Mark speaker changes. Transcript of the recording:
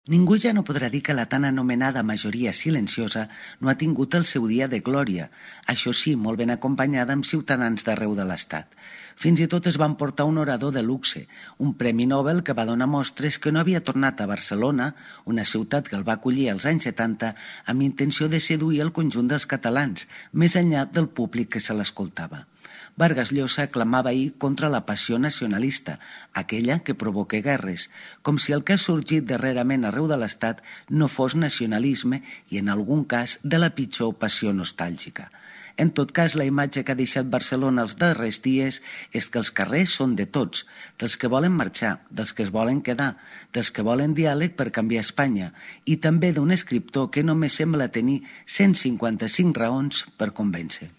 Speaker 1: Ningú ja no podrà dir que la tan anomenada majoria silenciosa no ha tingut el seu dia de glòria, això sí, molt ben acompanyada amb ciutadans d'arreu de l'Estat. Fins i tot es van portar un orador de luxe, un premi Nobel que va donar mostres que no havia tornat a Barcelona, una ciutat que el va acollir als anys 70, amb intenció de seduir el conjunt dels catalans, més enllà del públic que se l'escoltava. Vargas Llosa clamava ahir contra la passió nacionalista, aquella que provoca guerres, com si el que ha sorgit darrerament arreu de l'Estat no fos nacionalisme i, en algun cas, de la pitjor passió nostàlgica. En tot cas, la imatge que ha deixat Barcelona els darrers dies és que els carrers són de tots, dels que volen marxar, dels que es volen quedar, dels que volen diàleg per canviar Espanya i també d'un escriptor que només sembla tenir 155 raons per convèncer.